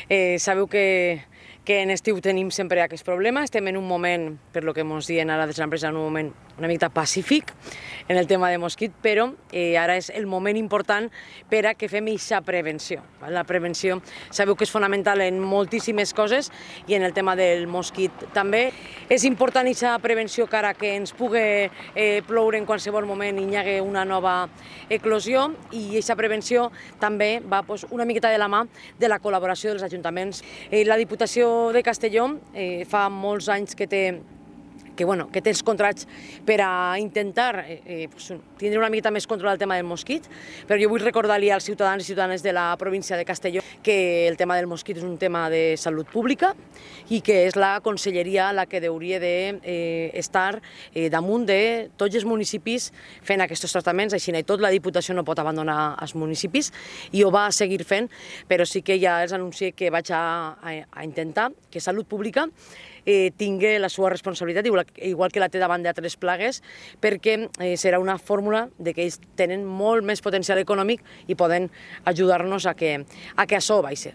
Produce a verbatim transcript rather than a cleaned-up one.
Eh, sabeu que, que en estiu tenim sempre aquest problema, estem en un moment, per lo que ens diuen ara des de l'empresa, en un moment una mica pacífic en el tema de mosquit, però eh, ara és el moment important per a que fem aquesta prevenció. La prevenció sabeu que és fonamental en moltíssimes coses i en el tema del mosquit també. És important aquesta prevenció cara que ens pugui eh, ploure en qualsevol moment i hi hagi una nova eclosió, i aquesta prevenció també va pues, una miqueta de la mà de la col·laboració dels ajuntaments. Eh, la Diputació de Castelló eh, fa molts anys que té que, bueno, que té els contrats per a intentar eh, pues, tindre una mica més control al tema del mosquit, però jo vull recordar-li als ciutadans i ciutadanes de la província de Castelló que el tema del mosquit és un tema de salut pública i que és la conselleria la que hauria d'estar eh, eh, damunt de tots els municipis fent aquests tractaments, així i tot la Diputació no pot abandonar els municipis i ho va seguir fent, però sí que ja els anuncio que vaig a, a, a intentar que Salut Pública eh, tingui la seva responsabilitat, igual, igual que la té davant d'altres plagues, perquè eh, serà una fórmula de que ells tenen molt més potencial econòmic i poden ajudar-nos a que, a que això baixi.